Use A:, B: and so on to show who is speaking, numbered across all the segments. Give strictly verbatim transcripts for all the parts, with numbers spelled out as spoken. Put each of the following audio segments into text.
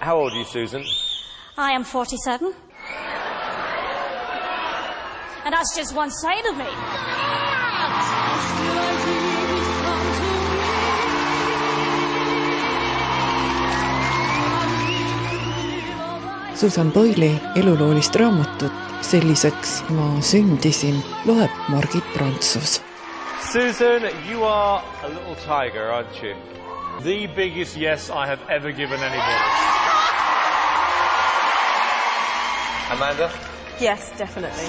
A: How old are you, Susan?
B: I am forty-seven. And that's just one side of me.
C: Susan Boyle'i eluloolist raamatut Selliseks ma sündisin loeb Margit Prantsus.
A: Susan, you are a little tiger, aren't you? The biggest yes I have ever given anybody. Amanda?
D: Yes, definitely.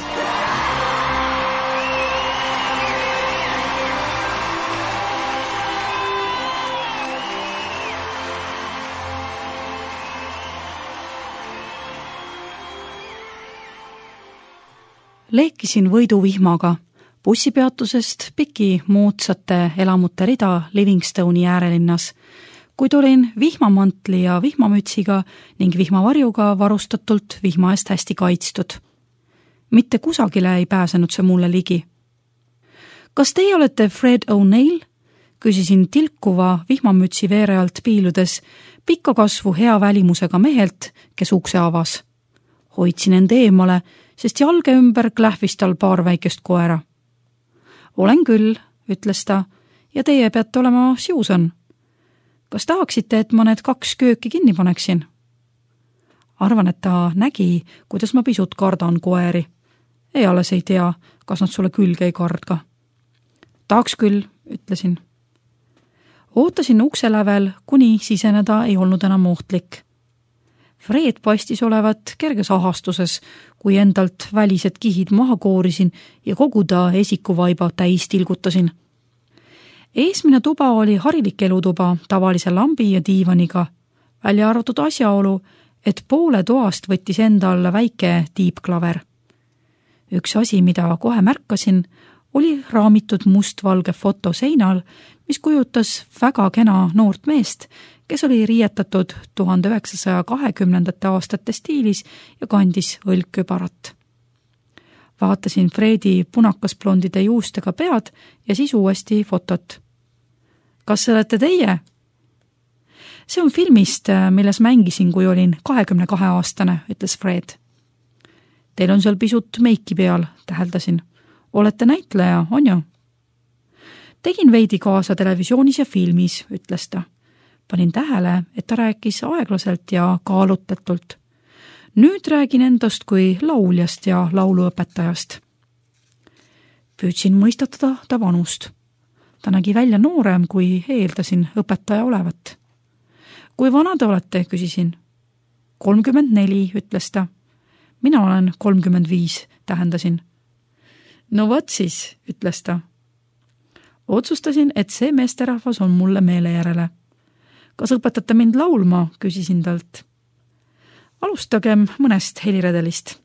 E: Leekisin võiduvihmaga. Bussipeatusest piki moodsate elamute rida Livingstone'i äärelinnas, kuid olin vihmamantli ja vihmamütsiga ning vihmavarjuga varustatult vihma eest hästi kaitstud. Mitte kusagile ei pääsenud see mulle ligi. Kas teie olete Fred O'Neill? Küsisin tilkuva vihmamütsi veere alt piiludes pikka kasvu hea välimusega mehelt, kes ukse avas. Hoidsin end eemale, sest jalge ümber klähvis tal paar väikest koera. Olen küll, ütles ta, ja teie peate olema Susan. Kas tahaksite, et ma need kaks kööki kinni paneksin? Arvan, et ta nägi, kuidas ma pisut kardan koeri. Ei alles ei tea, kas nad sulle külge ei kardga. Tahaks küll, ütlesin. Ootasin ukse lävel, kuni siseneda ei olnud enam ohtlik. Fred paistis olevat kerges ahastuses, kui endalt välised kihid maha koorisin ja kogu ta esikuvaiba täis tilgutasin. Eesmine tuba oli harilik elutuba tavalise lambi ja diivaniga, välja arvatud asjaolu, et poole toast võttis enda alla väike tiipklaver. Üks asi, mida kohe märkasin, oli raamitud mustvalge foto seinal, mis kujutas väga kena noort meest, kes oli riietatud tuhande üheksasaja kahekümnendate aastate stiilis ja kandis õlgkübarat. Vaatasin Fredi punakasblondide juustega pead ja siis uuesti fotot. Kas see olete teie? See on filmist, milles mängisin, kui olin kahekümne kahe aastane, ütles Fred. Teil on seal pisut meiki peal, täheldasin. Olete näitleja, on ju? Tegin veidi kaasa televisioonis ja filmis, ütles ta. Panin tähele, et ta rääkis aeglaselt ja kaalutetult. Nüüd räägin endast kui lauljast ja lauluõpetajast. Püüdsin mõistatada ta vanust. Ta nägi välja noorem, kui eeldasin õpetaja olevat. Kui vana te olete, küsisin. kolmkümmend neli, ütles ta. Mina olen kolmkümmend viis, tähendasin. No võt siis, ütles ta. Otsustasin, et see meesterahvas on mulle meele järele. Kas õpetate mind laulma, küsisin talt. Alustagem mõnest heliredelist.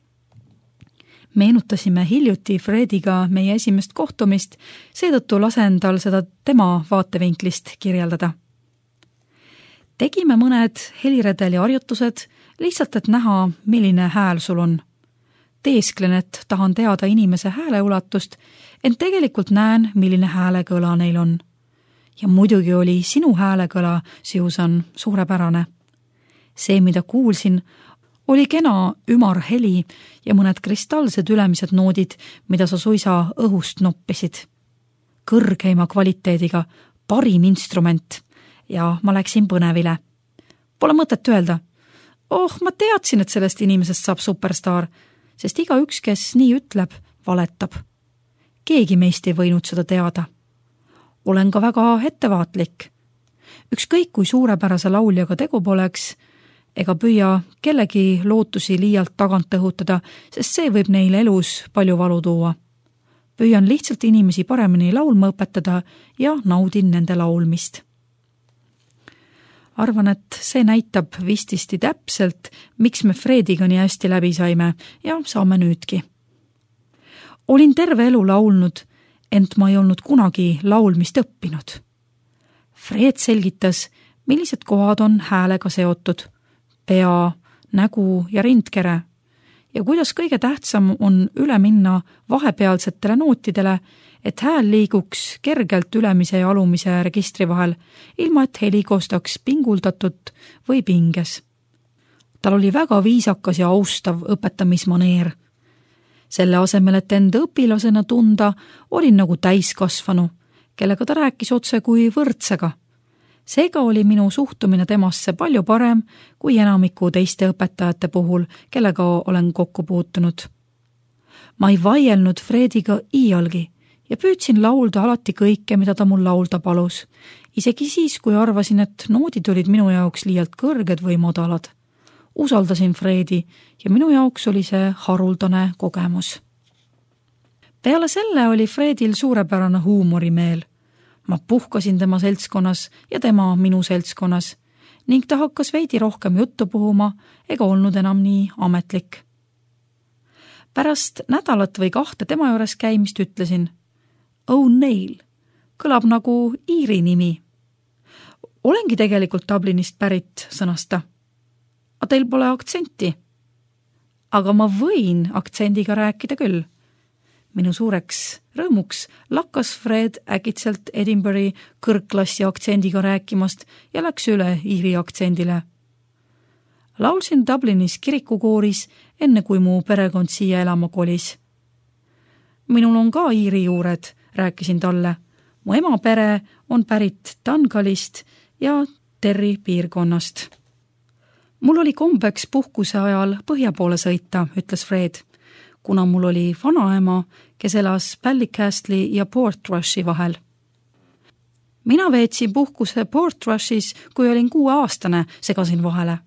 E: Meenutasime hiljuti Frediga meie esimest kohtumist, seetõttu lasen tal seda tema vaatevinklist kirjeldada. Tegime mõned heliredeli harjutused, lihtsalt et näha, milline hääl sul on. Teesklen, et tahan teada inimese hääleulatust, ent tegelikult näen, milline häälekõla neil on. Ja muidugi oli sinu häälekõla, Susan, suurepärane. See, mida kuulsin, oli kena ümar heli ja mõned kristallsed ülemised noodid, mida sa suisa õhust noppisid. Kõrgeima kvaliteediga, parim instrument ja ma läksin põnevile. Pole mõtet öelda. Oh, ma teadsin, et sellest inimesest saab superstaar, sest iga üks, kes nii ütleb, valetab. Keegi meist ei võinud seda teada. Olen ka väga ettevaatlik. Ükskõik kui suurepärase lauljaga tegu poleks, ega püüa kellegi lootusi liialt tagant õhutada, sest see võib neil elus palju valu tuua. Püüan lihtsalt inimesi paremini laulma õpetada ja naudin nende laulmist. Arvan, et see näitab vististi täpselt, miks me Frediga nii hästi läbi saime ja saame nüüdki. Olin terve elu laulnud, ent ma ei olnud kunagi laulmist õppinud. Fred selgitas, millised kohad on häälega seotud, pea, nägu ja rindkere, ja kuidas kõige tähtsam on üle minna vahepealsetele nootidele, et hääl liiguks kergelt ülemise ja alumise registri vahel, ilma et heli koostaks pinguldatud või pinges. Tal oli väga viisakas ja austav õpetamismaneer. Selle asemel, et enda õpilasena tunda, olin nagu täiskasvanu, kellega ta rääkis otse kui võrdsega. Seega oli minu suhtumine temasse palju parem kui enamiku teiste õpetajate puhul, kellega olen kokku puutunud. Ma ei vaielnud Frediga iialgi ja püüdsin laulda alati kõike, mida ta mul laulda palus, isegi siis, kui arvasin, et noodid olid minu jaoks liialt kõrged või madalad. Usaldasin Fredi ja minu jaoks oli see haruldane kogemus. Peale selle oli Fredil suurepärane huumorimeel. Ma puhkasin tema seltskonnas ja tema minu seltskonnas ning ta hakkas veidi rohkem juttu puhuma ega olnud enam nii ametlik. Pärast nädalat või kahte tema juures käimist ütlesin, O'Neill, kõlab nagu iiri nimi. Olengi tegelikult Dublinist pärit, sõnas ta. A teil pole aktsenti. Aga ma võin aktsendiga rääkida küll. Minu suureks rõõmuks lakkas Fred äkitselt Edinburghi kõrgklassi aktsendiga rääkimast ja läks üle iiri aktsendile. Laulsin Dublinis kirikukooris, enne kui mu perekond siia elama kolis. Minul on ka iiri juured, rääkisin talle. Mu ema pere on pärit Dungalist ja Terri piirkonnast. Mul oli kombeks puhkuse ajal põhja poole sõita, ütles Fred, kuna mul oli vanaema, kes elas Ballycastle'i ja Portrushi vahel. Mina veetsin puhkuse Portrushis, kui olin kuue aastane, segasin vahele.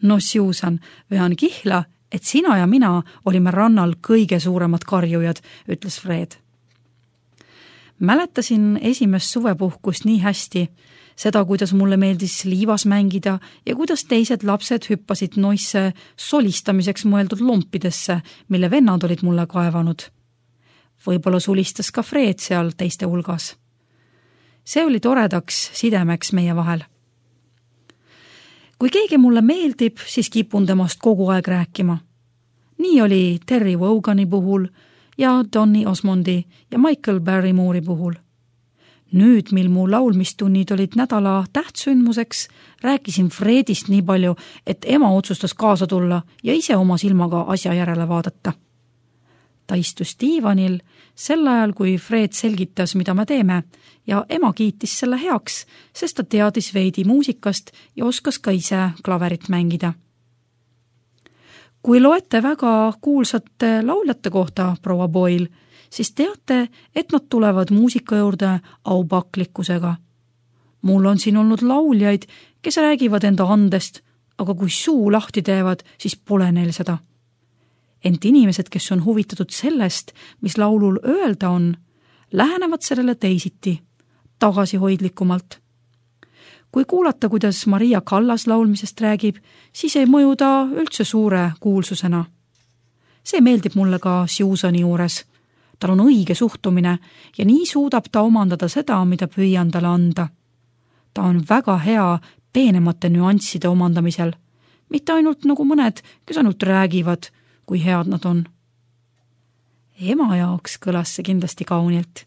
E: No Susan, vean kihla, et sina ja mina olime rannal kõige suuremad karjujad, ütles Fred. Mäletasin esimest suvepuhkust nii hästi, seda, kuidas mulle meeldis liivas mängida ja kuidas teised lapsed hüppasid noisse solistamiseks mõeldud lompidesse, mille vennad olid mulle kaevanud. Võib-olla sulistas ka Fred seal teiste hulgas. See oli toredaks sidemeks meie vahel. Kui keegi mulle meeldib, siis kipun temast kogu aeg rääkima. Nii oli Terry Wogani puhul ja Donny Osmondi ja Michael Barrymore'i puhul. Nüüd, mil mu laulmistunnid olid nädala tähtsündmuseks, rääkisin Fredist nii palju, et ema otsustas kaasa tulla ja ise oma silmaga asja järele vaadata. Ta istus diivanil sel ajal, kui Fred selgitas, mida me teeme, ja ema kiitis selle heaks, sest ta teadis veidi muusikast ja oskas ka ise klaverit mängida. Kui loete väga kuulsate lauljate kohta, proua Boyle, siis teate, et nad tulevad muusika juurde aupaklikkusega. Mul on siin olnud lauljaid, kes räägivad enda andest, aga kui suu lahti teevad, siis pole neil seda. Ent inimesed, kes on huvitatud sellest, mis laulul öelda on, lähenevad sellele teisiti, tagasihoidlikumalt. Kui kuulata, kuidas Maria Callas laulmisest räägib, siis ei mõju ta üldse suure kuulsusena. See meeldib mulle ka Susani juures. Tal on õige suhtumine ja nii suudab ta omandada seda, mida püüan talle anda. Ta on väga hea peenemate nüansside omandamisel, mitte ainult nagu mõned, kes ainult räägivad, kui head nad on. Ema jaoks kõlas see kindlasti kaunilt.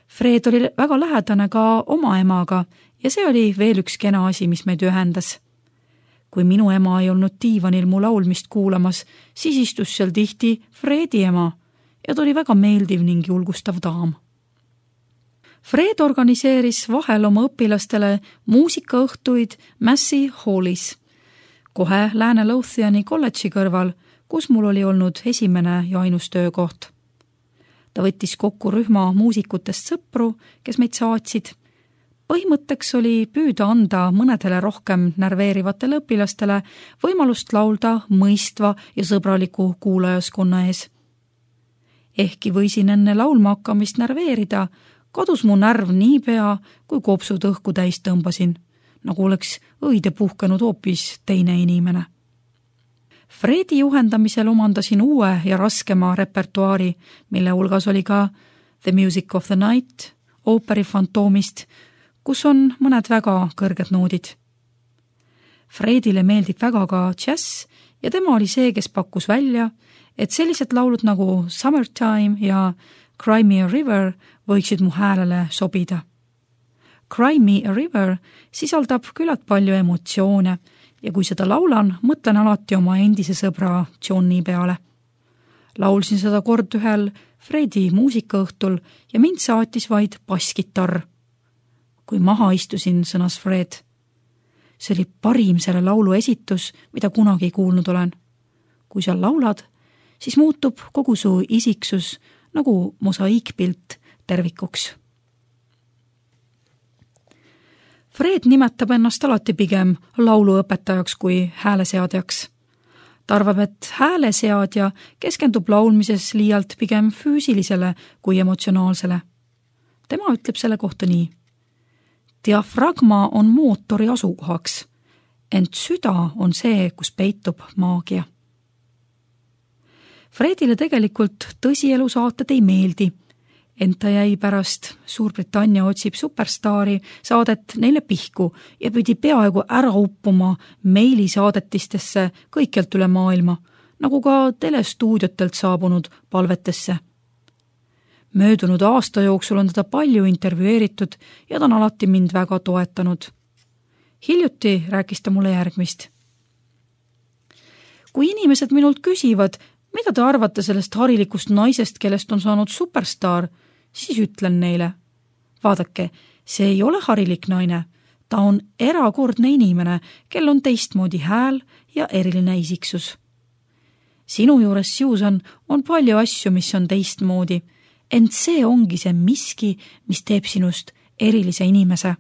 E: Fred oli väga lähedane ka oma emaga ja see oli veel üks kena asi, mis meid ühendas. Kui minu ema ei olnud diivanil mu laulmist kuulamas, siis istus seal tihti Fredi ema ja ta oli väga meeldiv ning julgustav daam. Fred organiseeris vahel oma õpilastele muusikaõhtuid Massey Hallis, kohe Lääne-Lothiani kolledži kõrval, kus mul oli olnud esimene ja ainus töökoht. Ta võttis kokku rühma muusikutest sõpru, kes meid saatsid. Põhimõtteks oli püüda anda mõnedele rohkem närveerivatele õpilastele võimalust laulda mõistva ja sõbraliku kuulajaskonna ees. Ehkki võisin enne laulma hakkamist närveerida, kadus mu närv nii pea, kui kopsud õhku täis tõmbasin, nagu oleks õide puhkenud hoopis teine inimene. Fredi juhendamisel omandasin uue ja raskema repertuaari, mille hulgas oli ka The Music of the Night, ooperi Fantoomist, kus on mõned väga kõrged noodid. Fredile meeldib väga ka džäss ja tema oli see, kes pakkus välja, et sellised laulud nagu Summertime ja Cry Me a River võiksid mu häälele sobida. Cry Me a River sisaldab küllalt palju emotsioone ja kui seda laulan, mõtlen alati oma endise sõbra Johnny peale. Laulsin seda kord ühel Fredi muusikaõhtul ja mind saatis vaid basskitarr. Kui maha istusin, sõnas Fred. See oli parim selle laulu esitus, mida kunagi kuulnud olen. Kui sa laulad, siis muutub kogu su isiksus nagu mosaiikpilt tervikuks. Fred nimetab ennast alati pigem lauluõpetajaks kui hääleseadjaks. Ta arvab, et hääleseadja keskendub laulmises liialt pigem füüsilisele kui emotsionaalsele. Tema ütleb selle kohta nii. Diafragma on mootori asukohaks, ent süda on see, kus peitub maagia. Fredile tegelikult tõsielusaated ei meeldi, ent ta jäi pärast Suurbritannia otsib superstaari saadet neile pihku ja pidi peaaegu ära uppuma meilisaadetistesse kõikjalt üle maailma, nagu ka telestuudiotelt saabunud palvetesse. Möödunud aasta jooksul on teda palju intervjueeritud ja ta on alati mind väga toetanud. Hiljuti rääkis ta mulle järgmist. Kui inimesed minult küsivad, mida te arvate sellest harilikust naisest, kellest on saanud superstaar, siis ütlen neile. Vaadake, see ei ole harilik naine. Ta on erakordne inimene, kel on teistmoodi hääl ja eriline isiksus. Sinu juures, Susan, on palju asju, mis on teistmoodi, ent see ongi see miski, mis teeb sinust erilise inimese.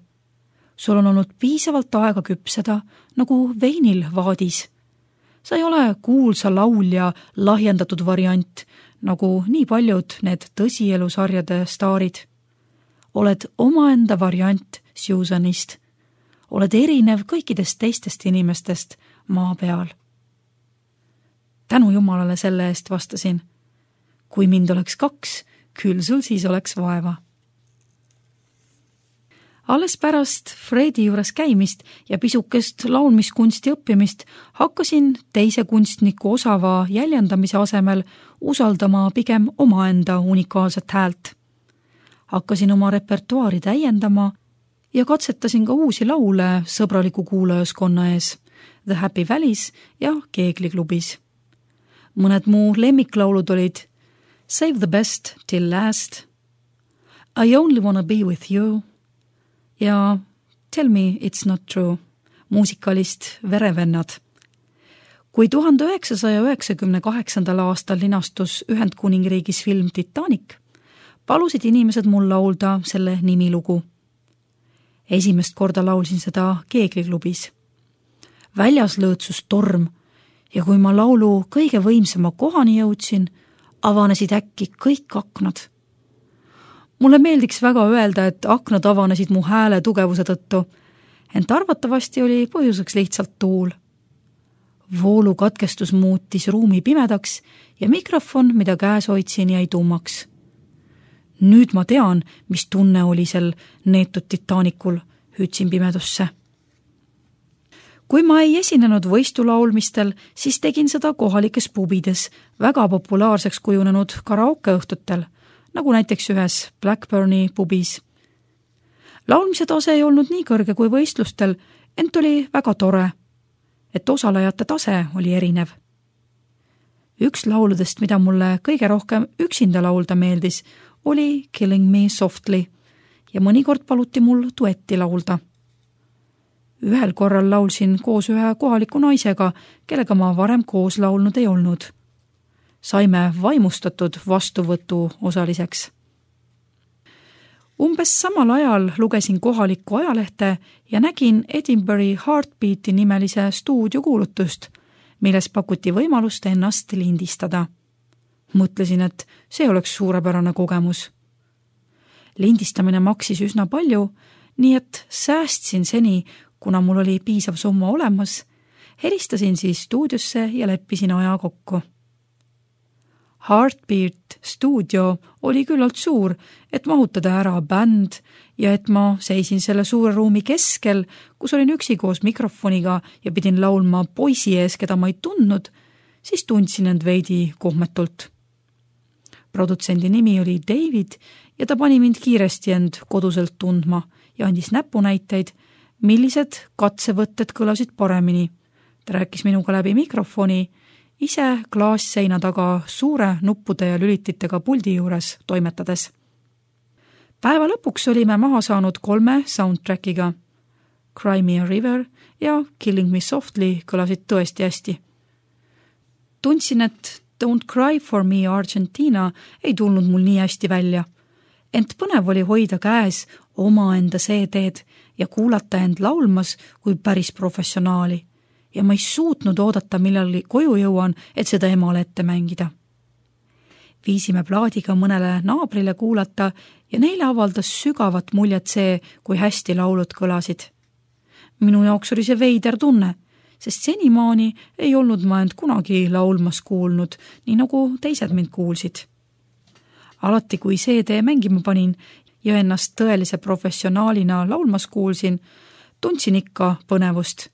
E: Sul on olnud piisavalt aega küpseda, nagu veinil vaadis. Sa ei ole kuulsa laulja lahjendatud variant, nagu nii paljud need tõsielusarjade staarid. Oled omaenda variant Susanist. Oled erinev kõikidest teistest inimestest maa peal. Tänu Jumalale selle eest vastasin. Kui mind oleks kaks, küll sul siis oleks vaeva. Alles pärast Fredi juures käimist ja pisukest laulmiskunsti õppimist hakkasin teise kunstniku osava jäljendamise asemel usaldama pigem omaenda unikaalset häält. Hakkasin oma repertuaari täiendama ja katsetasin ka uusi laule sõbraliku kuulajaskonna ees, The Happy Valleys ja Keegliklubis. Mõned muu lemmiklaulud olid Save the Best Till Last, I Only Wanna Be With You ja Tell Me It's Not True, muusikalist Verevennad. Kui tuhande üheksasaja üheksakümne kaheksandal aastal linastus Ühendkuningriigis film Titanic, palusid inimesed mul laulda selle nimilugu. Esimest korda laulsin seda Keegliklubis. Väljas lõõtsus torm ja kui ma laulu kõige võimsama kohani jõudsin, avanesid äkki kõik aknad. Mulle meeldiks väga öelda, et aknad avanesid mu hääle tugevuse tõttu, ent arvatavasti oli põhjuseks lihtsalt tuul. Voolu katkestus muutis ruumi pimedaks ja mikrofon, mida käes hoidsin, jäi tummaks. Nüüd ma tean, mis tunne oli sel neetud Titanicul, hüüdsin pimedusse. Kui ma ei esinenud võistulaulmistel, siis tegin seda kohalikes pubides, väga populaarseks kujunenud karaokeõhtutel, nagu näiteks ühes Blackburni pubis. Laulmise tase ei olnud nii kõrge kui võistlustel, ent oli väga tore, et osalejate tase oli erinev. Üks lauludest, mida mulle kõige rohkem üksinda laulda meeldis, oli Killing Me Softly ja mõnikord paluti mul duetti laulda. Ühel korral laulsin koos ühe kohaliku naisega, kellega ma varem koos laulnud ei olnud. Saime vaimustatud vastuvõtu osaliseks. Umbes samal ajal lugesin kohalikku ajalehte ja nägin Edinburgh Heartbeati nimelise stuudiokuulutust, milles pakuti võimalust ennast lindistada. Mõtlesin, et see oleks suurepärane kogemus. Lindistamine maksis üsna palju, nii et säästsin seni, kuna mul oli piisav summa olemas, helistasin siis stuudiosse ja leppisin aja kokku. Heartbeat stuudio oli küllalt suur, et mahutada ära bänd ja et ma seisin selle suure ruumi keskel, kus olin üksi koos mikrofoniga ja pidin laulma poisi ees, keda ma ei tundnud, siis tundsin end veidi kohmetult. Produtsendi nimi oli David ja ta pani mind kiiresti end koduselt tundma ja andis näpunäiteid, millised katsevõtted kõlasid paremini, Ta rääkis minuga läbi mikrofoni, ise klaasseina taga suure nuppude ja lülititega puldi juures toimetades. Päeva lõpuks olime maha saanud kolme soundtrackiga. Cry Me a River ja Killing Me Softly kõlasid tõesti hästi. Tundsin, et Don't Cry for Me Argentina ei tulnud mul nii hästi välja. Ent põnev oli hoida käes oma enda C D-d ja kuulata end laulmas kui päris professionaali. Ja ma ei suutnud oodata, millal koju jõuan, et seda emale ette mängida. Viisime plaadiga mõnele naabrile kuulata ja neile avaldas sügavat muljet see, kui hästi laulud kõlasid. Minu jaoks oli see veider tunne, sest senimaani ei olnud ma end kunagi laulmas kuulnud, nii nagu teised mind kuulsid. Alati, kui C D mängima panin ja ennast tõelise professionaalina laulmas kuulsin, tundsin ikka põnevust.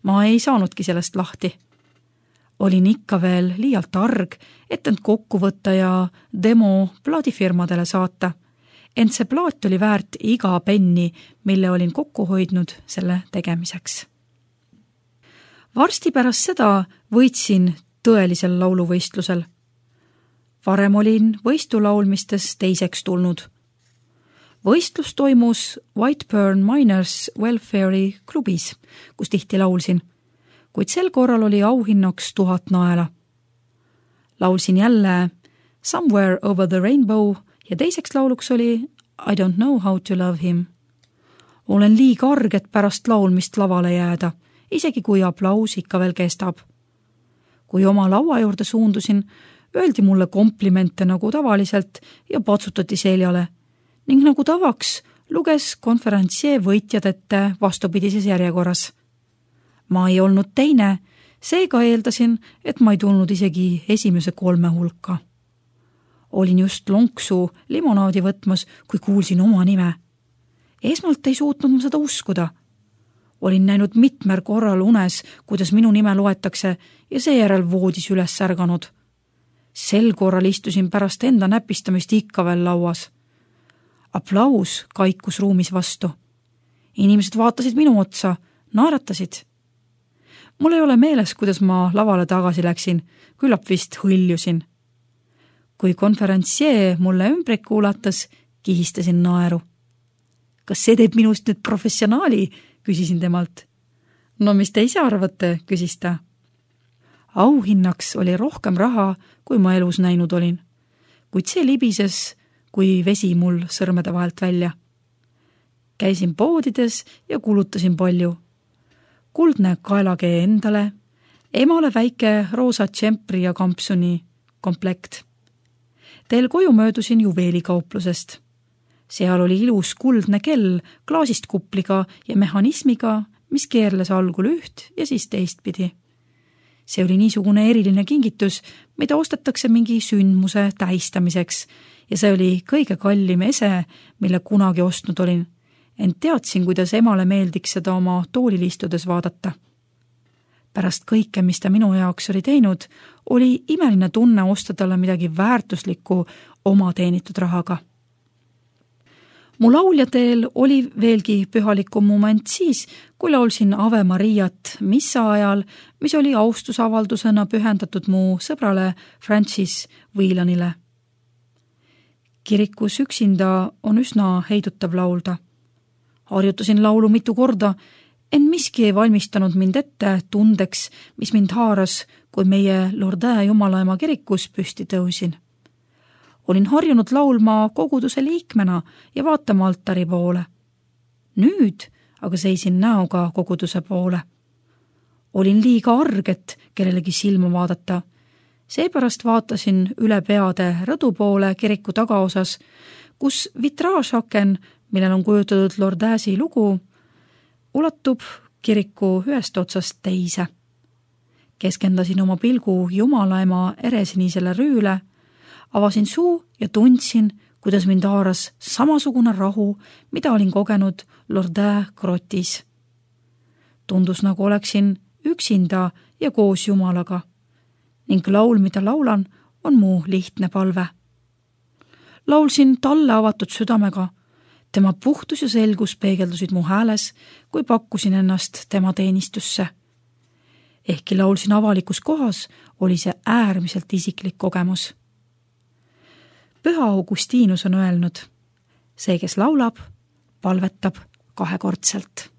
E: Ma ei saanudki sellest lahti. Olin ikka veel liialt arg, et end kokku võtta ja demo plaadifirmadele saata. Ent see plaat oli väärt iga penni, mille olin kokku hoidnud selle tegemiseks. Varsti pärast seda võitsin tõelisel lauluvõistlusel. Varem olin võistulaulmistes teiseks tulnud. Võistlus toimus Whiteburn Miners Welfare'i klubis, kus tihti laulsin, kuid sel korral oli auhinnaks tuhat naela. Laulsin jälle Somewhere Over the Rainbow ja teiseks lauluks oli I Don't Know How to Love Him. Olen liiga arg, et pärast laulmist lavale jääda, isegi kui aplaus ikka veel kestab. Kui oma laua juurde suundusin, öeldi mulle komplimente nagu tavaliselt ja patsutati seljale. Ning nagu tavaks luges konferentsie võitjad ette vastupidises järjekorras. Ma ei olnud teine, seega eeldasin, et ma ei tulnud isegi esimese kolme hulka. Olin just lonksu limonaadi võtmas, kui kuulsin oma nime. Esmalt ei suutnud ma seda uskuda. Olin näinud mitmer korral unes, kuidas minu nime loetakse ja seejärel voodis üles ärganud. Sel korral istusin pärast enda näpistamist ikka veel lauas. Aplaus kaikus ruumis vastu. Inimesed vaatasid minu otsa, naeratasid. Mul ei ole meeles, kuidas ma lavale tagasi läksin, küllap vist hõljusin. Kui konferentsie mulle ümbrik kuulatas, kihistasin naeru. Kas see teeb minust nüüd professionaali, küsisin temalt. No mis te ise arvate, küsis ta. Auhinnaks oli rohkem raha, kui ma elus näinud olin. Kuid see libises kui vesi mul sõrmede vahelt välja. Käisin poodides ja kulutasin palju. Kuldne kaelakee endale, emale väike roosa tšempri ja kampsuni komplekt. Teel koju möödusin juveelikauplusest. Seal oli ilus kuldne kell klaasist kupliga ja mehhanismiga, mis keerles algul üht ja siis teistpidi. See oli niisugune eriline kingitus, mida ostetakse mingi sündmuse tähistamiseks ja see oli kõige kallim ese, mille kunagi ostnud olin. Ent teadsin, kuidas emale meeldiks seda oma toolil istudes vaadata. Pärast kõike, mis ta minu jaoks oli teinud, oli imeline tunne osta talle midagi väärtuslikku oma teenitud rahaga. Mu lauljateel oli veelgi pühalikum moment siis, kui laulsin Ave Mariat missa ajal, mis oli austusavaldusena pühendatud mu sõbrale Francis Whelanile. Kirikus üksinda on üsna heidutav laulda. Harjutasin laulu mitu korda, en miski ei valmistanud mind ette tundeks, mis mind haaras, kui meie Lourdes Jumalaema kirikus püsti tõusin. Olin harjunud laulma koguduse liikmena ja vaatama altari poole. Nüüd aga seisin näoga koguduse poole. Olin liiga arg, et kellelegi silma vaadata. Seepärast vaatasin üle peade rõdu poole kiriku tagaosas, kus vitraažaken, millel on kujutatud Lourdesi lugu, ulatub kiriku ühest otsast teise. Keskendasin oma pilgu Jumalaema eresinisele rüüle, avasin suu ja tundsin, kuidas mind haaras samasugune rahu, mida olin kogenud Lourdes grotis. Tundus, nagu oleksin üksinda ja koos Jumalaga. Ning laul, mida laulan, on mu lihtne palve. Laulsin talle avatud südamega. Tema puhtus ja selgus peegeldusid mu hääles, kui pakkusin ennast tema teenistusse. Ehkki laulsin avalikus kohas, oli see äärmiselt isiklik kogemus. Püha Augustinus on öelnud, see, kes laulab, palvetab kahekordselt.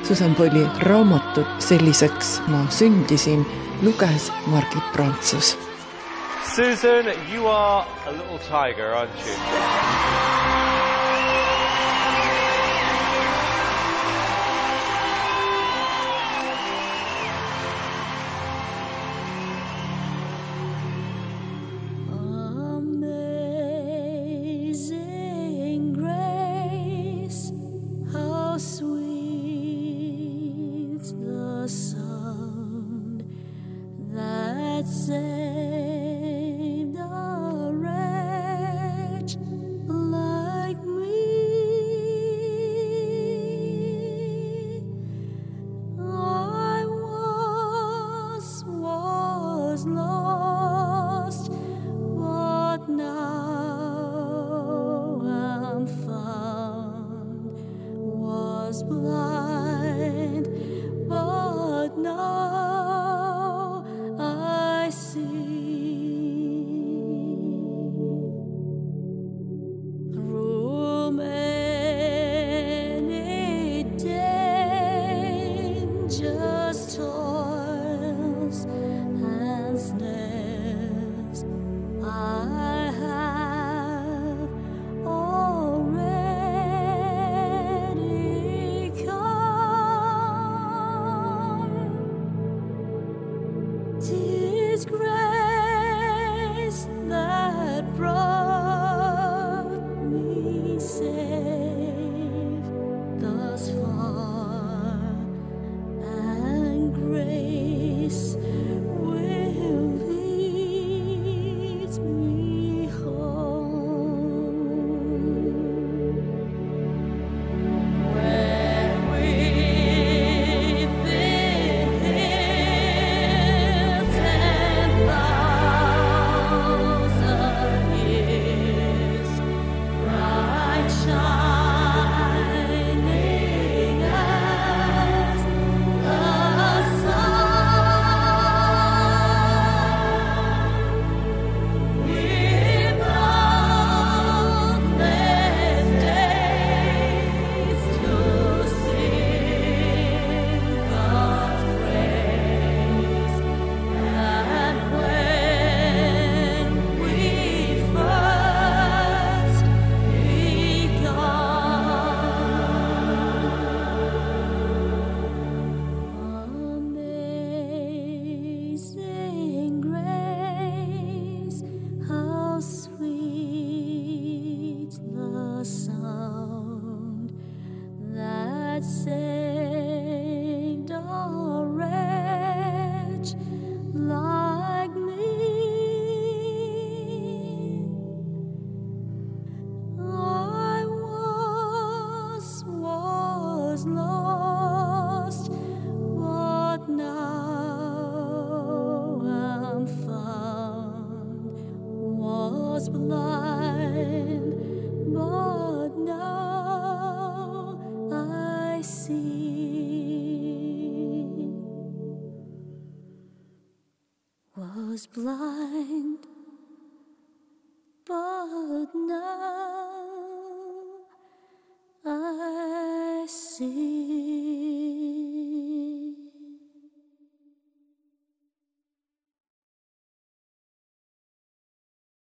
C: Susan Boyle'i raamatut Selliseks ma sündisin luges Margit Prantsus.
A: Susan, you are a little tiger, aren't you?
B: Amazing grace, how sweet the sound that saved a wretch like me. I once was lost, but now am found, was blind, but now I see. Through many dangerous toils and snares, I have already come. 'Tis grace that brought me safe thus far, and grace will lead me home. When we've been here ten thousand years, bright shining as the sun, with boundless days to sing God's praise. And when we first Amazing grace, how sweet the sound that saved a wretch like me. I once was lost, but now am found, was blind, but now I see. Was blind, but now I see.